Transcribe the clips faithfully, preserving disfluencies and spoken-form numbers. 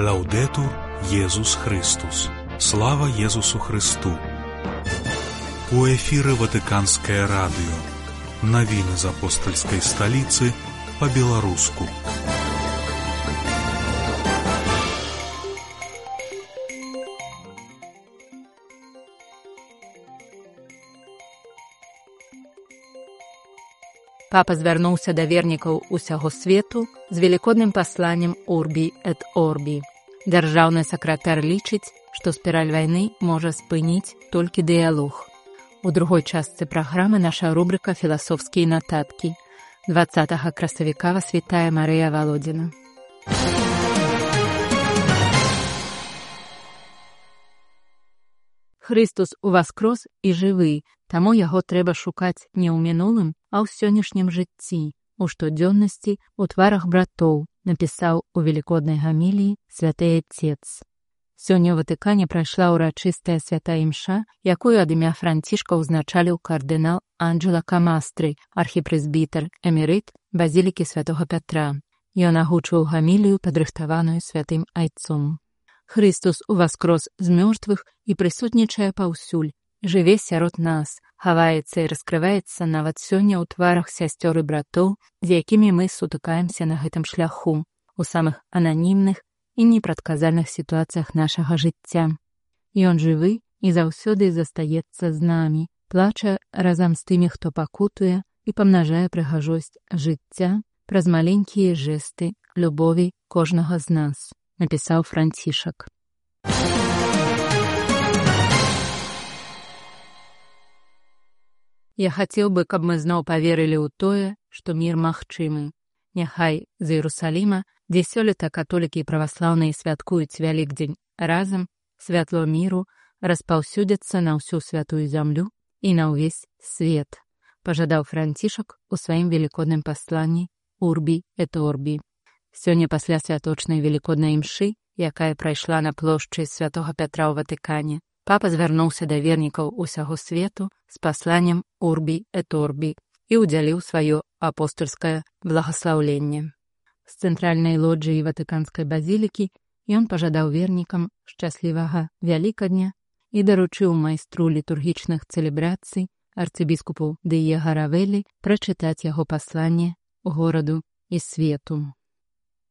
Лаўдэтур Єсус Христос. Слава Єсусу Христу. У эфіры Ватыканскае радыё. Навіны з апостальскай сталіцы па-беларуску. Папа звярнуўся да вернікаў усяго свету з велікодным пасланнем «Урбі эт Орбі». Дзяржаўны сакратар лічыць, што спіраль вайны можа спыніць толькі дыялог. У другой частцы праграмы наша рубрыка «Філасофскія нататкі». дваццатага красавіка вас вітае Марыя Валодзіна. Христус уваскрос і жывы, таму яго трэба шукаць не ў мінулым, а ў сённяшнім жыцці, у штодзённасці, у тварах братоў, напісаў у велікоднай гаміліі святы Отец. Сёння ў Ватыкане прайшла ўрачыстая святая імша, якую ад імя Францішка ўзначаліў кардынал Анджело Камастры, архіпрэзбітар эмерыт базілікі святога Пятра. Ён агучыў гамілію, падрыхтаваную святым айцом. Христус уваскрос з мёртвых і прысутнічае паўсюль, жыве сярод нас, хаваецца і раскрываецца нават сёння ў тварах сясцёр і братоў, з якімі мы сутыкаемся на гэтым шляху, у самых ананімных і непрадказальных сітуацыях нашага жыцця. Ён жывы і заўсёды застаецца з намі, плача разам з тымі, хто пакутуе, і памнажае прыгажосць жыцця праз маленькія жэсты любові кожнага з нас, напісаў Францішак. Я хацеў бы, каб мы зноў паверылі ў тое, што мір магчымы. Няхай з Іерусаліма, дзе сёлета католікі і праваслаўныя святкуюць Вялікдзень разам, святло міру распаўсюдзяцца на ўсю святую зямлю і на ўвесь свет, пажадаў Францішак у сваім велікодным пасланні «Урбі эт Орбі». Сёння пасля святочнай велікоднай імшы, якая прайшла на плошчы святога Пятра ў Ватыкане, папа звярнуўся да вернікаў усяго свету з пасланнем «Урбі эт Орбі» і ўдзяліў сваё апостольскае благаслаўленне. З цэнтральнай лоджыі Ватыканскай базілікі ён пажадаў вернікам шчаслівага Вялікадня і даручыў майстру літургічных цэлебрацый арцыбіскупу Дыего Равеллі прачытаць яго пасланне гораду і свету.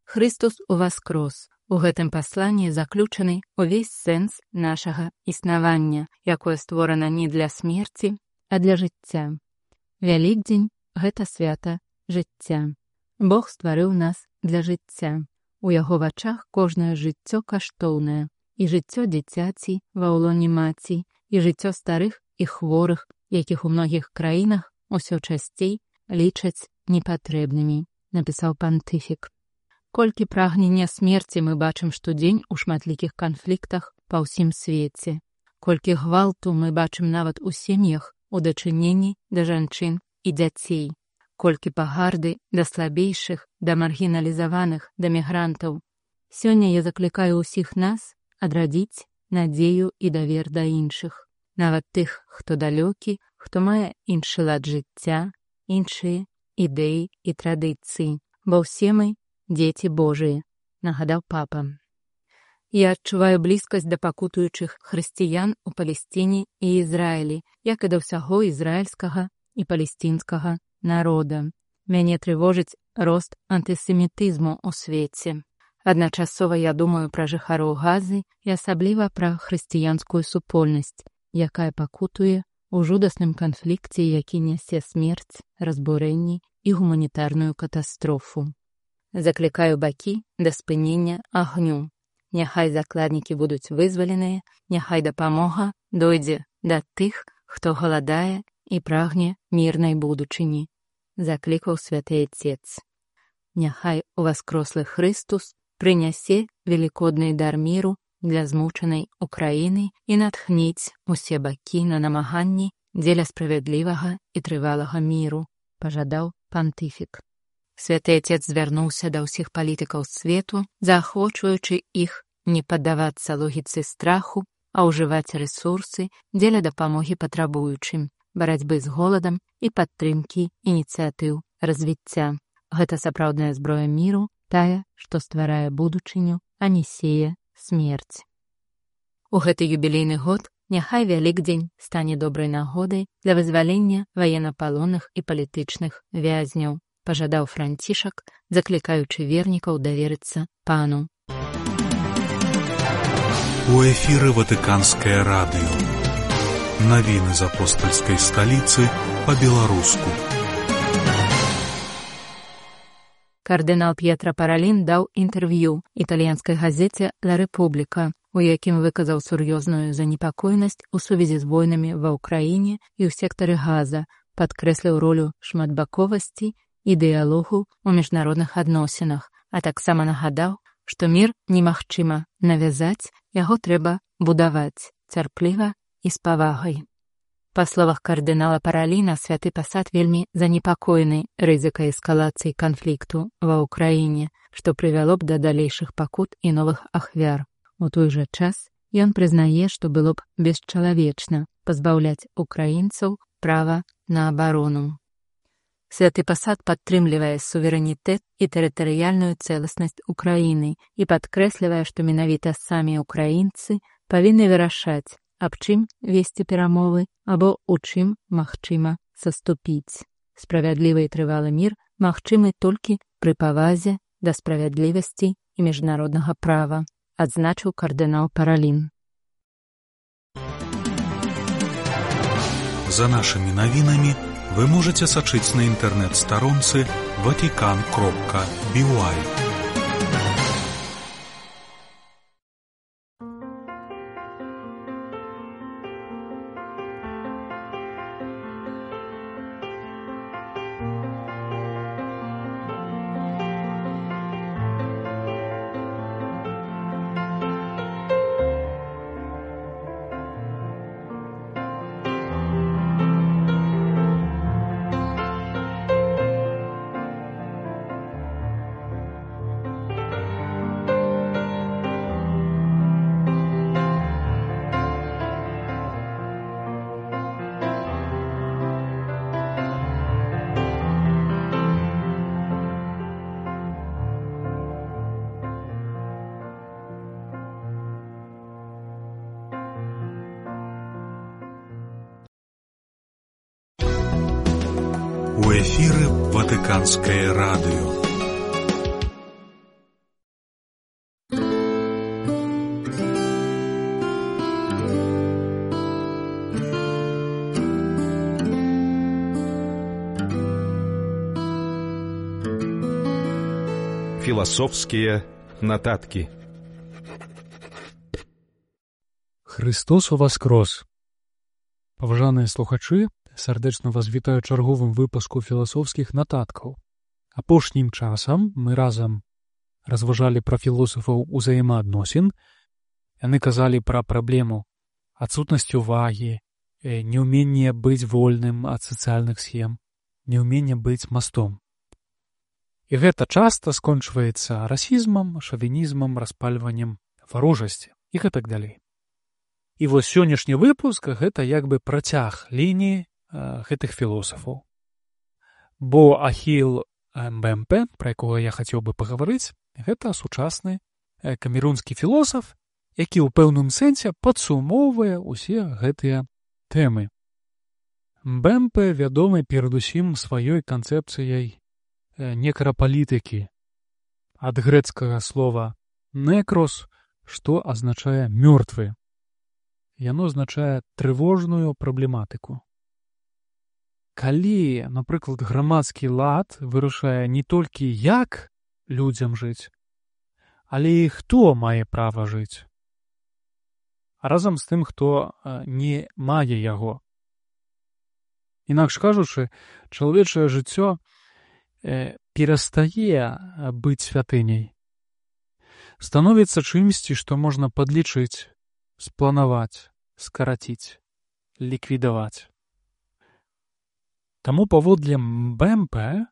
Христус уваскрос. У гэтым пасланні заключаны ўвесь сэнс нашага існавання, якое створана не для смерці, а для жыцця. Вялікдзень – гэта свята жыцця. Бог стварыў нас для жыцця. У яго вачах кожнае жыццё каштоўнае, і жыццё дзіцяці ва ўлоне маці, і жыццё старых і хворых, якіх у многіх краінах усё часцей лічаць непатрэбнымі, напісаў пантыфік. Колькі прагнення смерці мы бачым штодзень у шматлікіх канфліктах па ўсім свеце. Колькі гвалту мы бачым нават у сем'ях, у дачыненні да жанчын і дзяцей. Колькі пагарды да слабейшых, да маргіналізаваных, да мігрантаў. Сёння я заклікаю ўсіх нас адрадзіць надзею і давер да іншых. Нават тых, хто далёкі, хто мае іншы лад жыцця, іншыя ідэі і традыцыі. Бо ўсе мы дзеці Божыя, нагадаў папа. Я адчуваю блізкасць да пакутуючых хрысціян у Палесціне і Ізраілі, як і да ўсяго ізраільскага і палесцінскага народа. Мяне трывожыць рост антысемітызму ў свеце. Адначасова я думаю пра жыхароў Газы і асабліва пра хрысціянскую супольнасць, якая пакутуе ў жудасным канфлікце, які нясе смерць, разбурэнні і гуманітарную катастрофу. Заклікаю бакі да спынення агню. Няхай закладнікі будуць вызваленыя, няхай дапамога дойдзе да тых, хто галадае і прагне мірнай будучыні, заклікаў святы Отец. Няхай уваскрослы Христус прынясе велікодны дар міру для змучанай Украіны і натхніць усе бакі на намаганні дзеля справядлівага і трывалага міру, пажадаў пантыфік. Святы Отец звярнуўся да ўсіх палітыкаў свету, заахвочваючы іх не паддавацца логіцы страху, а ўжываць рэсурсы дзеля дапамогі патрабуючым, барацьбы з голадам і падтрымкі ініцыятыў развіцця. Гэта сапраўдная зброя міру, тая, што стварае будучыню, а не сее смерць. У гэты юбілейны год няхай Вялікдзень стане добрай нагодай для вызвалення ваеннапалонных і палітычных вязняў, пажадаў Францішак, заклікаючы вернікаў даверыцца пану. У эфіры Ватыканскае радыё. Навіны з апостальскай сталіцы па-беларуску. Кардынал П'етра Паралін даў інтэрв'ю італьянскай газеце «Ла Рэпубліка», у якім выказаў сур'ёзную занепакоенасць у сувязі з войнамі ва ўкраіне і ў сектары Газа, падкрэсліў ролю шматбаковасці і дыялогу ў міжнародных адносінах, а таксама нагадаў, што мір немагчыма навязаць, яго трэба будаваць цярпліва і з павагай. Па словах кардынала Параліна, святы пасад вельмі занепакоены рызыкай эскалацыі канфлікту ва ўкраіне, што прывяло б да далейшых пакут і новых ахвяр. У той жа час ён прызнае, што было б бесчалавечна пазбаўляць украінцаў права на абарону. Святы пасад падтрымлівае суверэнітэт і тэрытарыяльную цэласнасць Украіны і падкрэслівае, што менавіта самі украінцы павінны вырашаць, аб чым весці перамовы або ў чым магчыма саступіць. Справядлівы і трывалы мір магчымы толькі пры павазе да справядлівасці і міжнароднага права, адзначыў кардынал Паралін. За нашымі навінамі вы можаце сачыць на інтэрнэт-старонцы ватикан кропка би уай. У эфіры Ватыканскае радыё. Філасофскія нататкі. Христос уваскрос! Паважаныя слухачы, сардэчна вас вітаю чарговым выпуску філасофскіх нататкаў. Апошнім часам мы разам разважалі пра філосафаў узаемаадносін. Яны казалі пра праблему адсутнасці ўвагі, неўменне быць вольным ад сацыяльных схем, неўменне быць мастом. І гэта часта скончваецца расізмам, шавінізмам, распальваннем варожасці і гэтак далей. І вось сённяшні выпуск — гэта як бы працяг лініі гэтых філосафаў. Бо Ахіл Мбемпе, пра якога я хацеў бы пагаварыць, гэта сучасны камерунскі філосаф, які ў пэўным сэнсе падсумоўвае ўсе гэтыя тэмы. Мбемпе вядомы перадусім сваёй канцэпцыяй некрапалітыкі, ад грэцкага слова «некрос», што азначае «мёртвы». Яно азначае трывожную праблематыку. Калі, напрыклад, грамадскі лад вырашае не толькі як людзям жыць, але і хто мае права жыць, а разам з тым, хто не мае яго. Інакш кажучы, чалавечае жыццё перастае быць святыняй, становіцца чымсьці, што можна падлічыць, спланаваць, скараціць, ліквідаваць. Таму паводле Мбемпе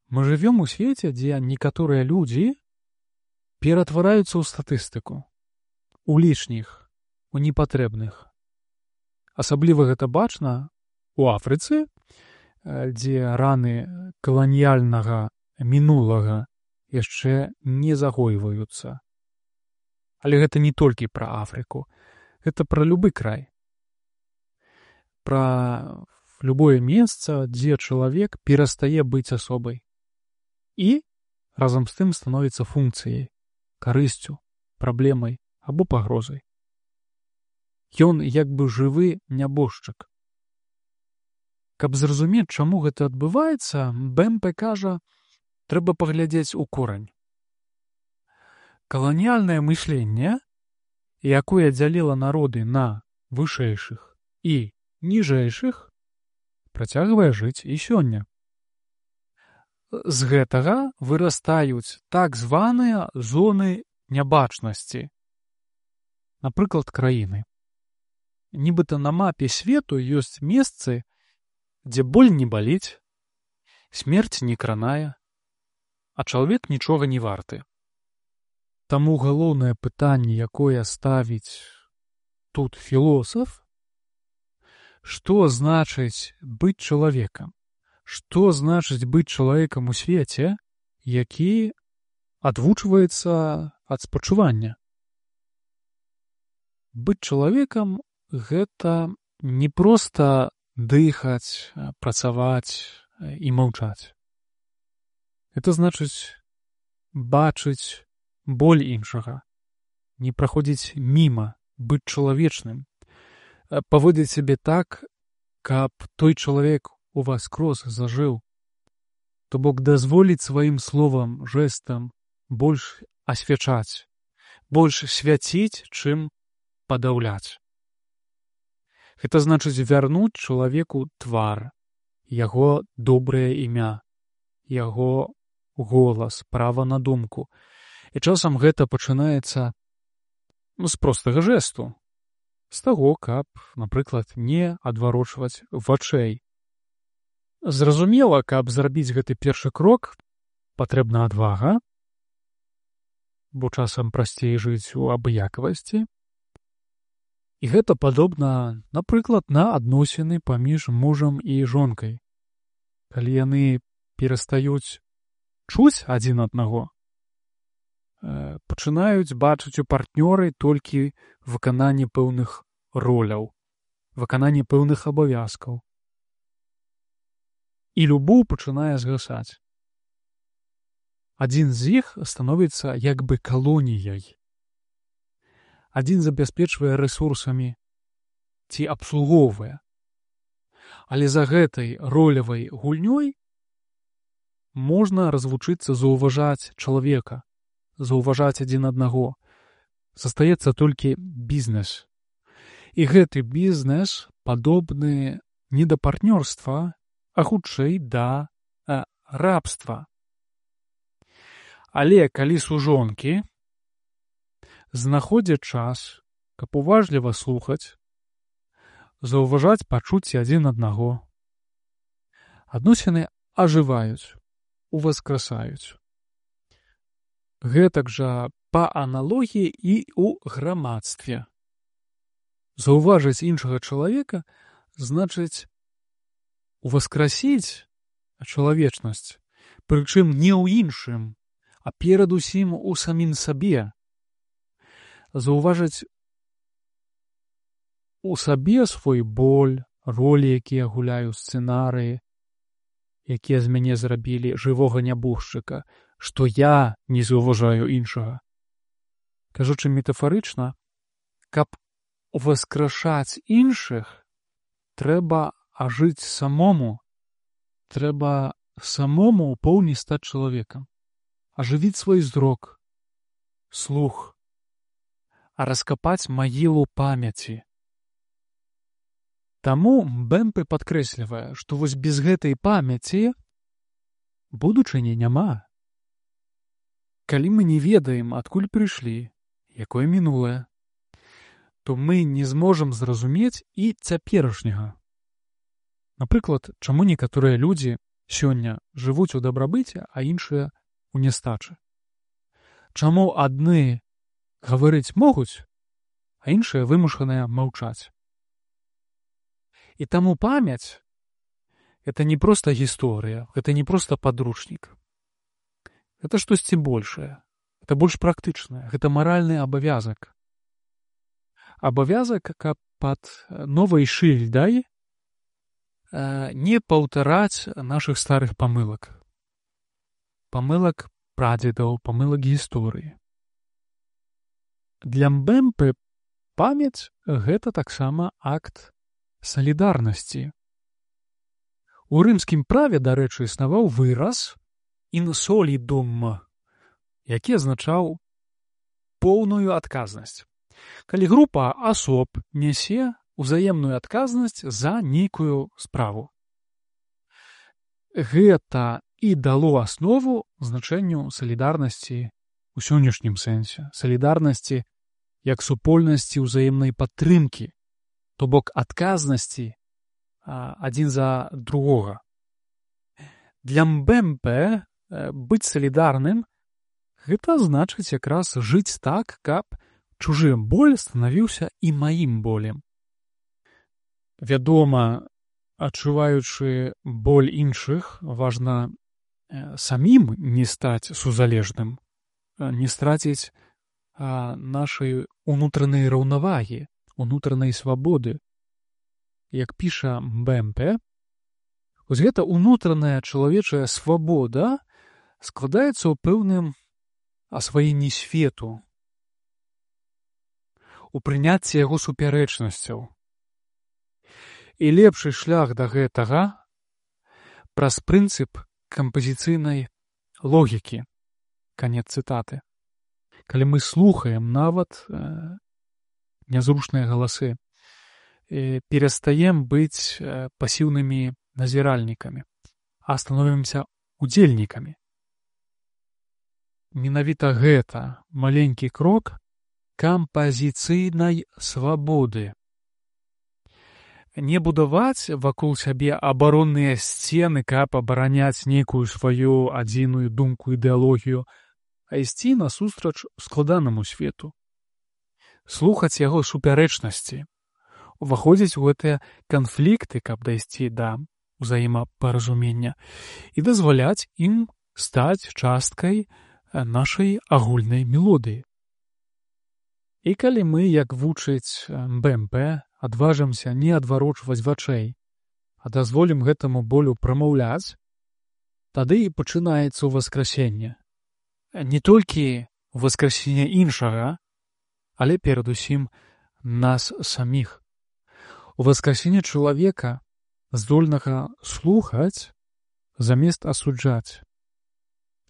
мы жывём у свеце, дзе некаторыя людзі ператвараюцца ў статыстыку, у лішніх, у непатрэбных. Асабліва гэта бачна у Афрыцы, дзе раны каланіяльнага мінулага яшчэ не загойваюцца. Але гэта не толькі пра Афрыку, гэта пра любы край. Пра любое месца, дзе чалавек перастае быць асобай. І разам з тым становіцца функцыяй, карысцю, праблемай або пагрозай. Ён як бы жывы нябожчык. Каб зразумець, чаму гэта адбываецца, Бемпе кажа, трэба паглядзець у корань. Каланіяльнае мысленне, якое дзяліла народы на вышэйшых і ніжэйшых, працягвае жыць і сёння. З гэтага вырастаюць так званыя зоны нябачнасці. Напрыклад, краіны. Нібыта на мапе свету ёсць месцы, дзе боль не баліць, смерць не кранае, а чалавек нічога не варты. Таму галоўнае пытанне, якое ставіць тут філосаф, што значыць быць чалавекам? Што значыць быць чалавекам у свеце, які адвучваецца ад спачування? Быць чалавекам — гэта не проста дыхаць, працаваць і маўчаць. Гэта значыць бачыць боль іншага, не праходзіць міма, быць чалавечным, паводзіць сябе так, каб той чалавек у вас крос зажыў, то бок дазволіць сваім словам, жэстам больш асвячаць, больш свяціць, чым падаўляць. Гэта значыць вярнуць чалавеку твар, яго добрае імя, яго голас, права на думку. І часам гэта пачынаецца з простага жэсту, з таго, каб, напрыклад, не адварочваць вачэй. Зразумела, каб зрабіць гэты першы крок, патрэбна адвага, бо часам прасцей жыць у абыякавасці. І гэта падобна, напрыклад, на адносіны паміж мужам і жонкай. Калі яны перастаюць чуць адзін аднаго, пачынаюць бачыць у партнёры толькі выкананне пэўных роляў, выкананне пэўных абавязкаў. І любоў пачынае згасаць. Адзін з іх становіцца як бы калоніяй. Адзін забяспечвае рэсурсамі ці абслугоўвае. Але за гэтай ролевай гульнёй можна развучыцца заўважаць чалавека, заўважаць адзін аднаго. Застаецца толькі бізнес. І гэты бізнес падобны не да партнёрства, а хутчэй да а, рабства. Але калі сужонкі знаходзяць час, каб уважліва слухаць, заўважаць пачуцці адзін аднаго, адносіны ажываюць, уваскрасаюць. Гэтак жа па аналогіі і ў грамадстве. Заўважыць іншага чалавека значыць уваскрасіць чалавечнасць, прычым не ў іншым, а перадусім у самім сабе. Заўважыць у сабе свой боль, ролі, якія гуляю, сцэнарыі, якія з мяне зрабілі жывога нябожчыка, што я не заўважаю іншага. Кажучы метафарычна, каб уваскрашаць іншых, трэба ажыць самому, трэба самому ў поўні стаць чалавекам, ажывіць свой зрок, слух, а раскапаць магілу памяці. Таму Бемпе падкрэслівае, што вось без гэтай памяці будучыні няма. Калі мы не ведаем, адкуль прыйшлі, якое мінулае, то мы не зможам зразумець і цяперашняга. Напрыклад, чаму некаторыя людзі сёння жывуць у дабрабыце, а іншыя у нястачы? Чаму адны гаварыць могуць, а іншыя вымушаныя маўчаць? І таму памяць — гэта не проста гісторыя, гэта не проста падручнік. Гэта штосьці большае. Гэта больш практычнае. Гэта маральны абавязак. Абавязак, каб пад новай шыльдай не паўтараць нашых старых памылак. Памылак прадзедаў, памылак гісторыі. Для Мбэмпе памяць — гэта таксама акт салідарнасці. У рымскім праве, дарэчы, існаваў выраз «in solidum», які азначаў поўную адказнасць. Калі група асоб нясе узаемную адказнасць за нейкую справу. Гэта і дало аснову значэнню салідарнасці ў сённяшнім сэнсе. Салідарнасці як супольнасці ўзаемнай падтрымкі, то бок адказнасці адзін за другога. Для Мбэмпе быць салідарным — гэта значыць якраз жыць так, каб чужы боль станавіўся і маім болем. Вядома, адчуваючы боль іншых, важна самім не стаць сузалежным, не страціць нашай унутранай раўнавагі, унутранай свабоды. Як піша Мбэмпе, вось гэта унутраная чалавечая свабода складаецца ў пэўным асваенні свету, у прыняцці яго супярэчнасцяў. І лепшы шлях да гэтага праз прынцып кампазіцыйнай логікі. Канец цытаты. Калі мы слухаем нават э, нязручныя галасы, э, перастаем быць э, пасіўнымі назіральнікамі, а становімся удзельнікамі. Менавіта гэта маленькі крок кампазіцыйнай свабоды. Не будаваць вакол сябе абаронныя сцены, каб абараняць нейкую сваю адзіную думку, ідэалогію, а ісці насустрач складанаму свету. Слухаць яго супярэчнасці, уваходзіць у гэтыя канфлікты, каб дайсці да ўзаемапаразумення, і дазваляць ім стаць часткай нашай агульнай мелодыі. І калі мы, як вучыць Мбэмпе, адважымся не адварочваць вачэй, а дазволім гэтаму болю прамаўляць, тады і пачынаецца ўваскрасенне. Не толькі ўваскрасенне іншага, але перадусім нас саміх. Уваскрасенне чалавека, здольнага слухаць замест асуджаць.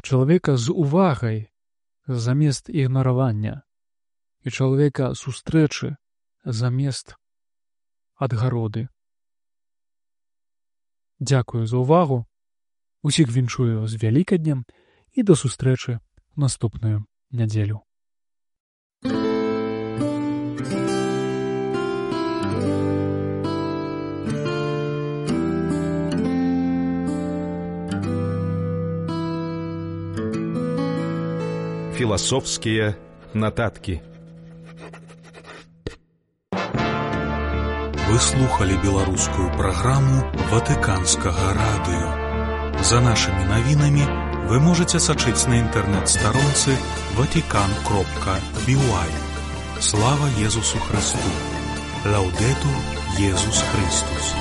Чалавека з увагай замест ігнаравання. І чалавека сустрэчы замест адгароды. Дзякую за ўвагу. Усіх віншую з Вялікаднем і да сустрэчы ў наступную нядзелю. Философские нотатки. Вы слухали беларускую праграму Ватыканскага радыё. За нашымі навінамі вы можаце сачыць на інтэрнэт-старонцы ватикан кропка би уай. Слава Езусу Христу! Лаудетур Езус Христус!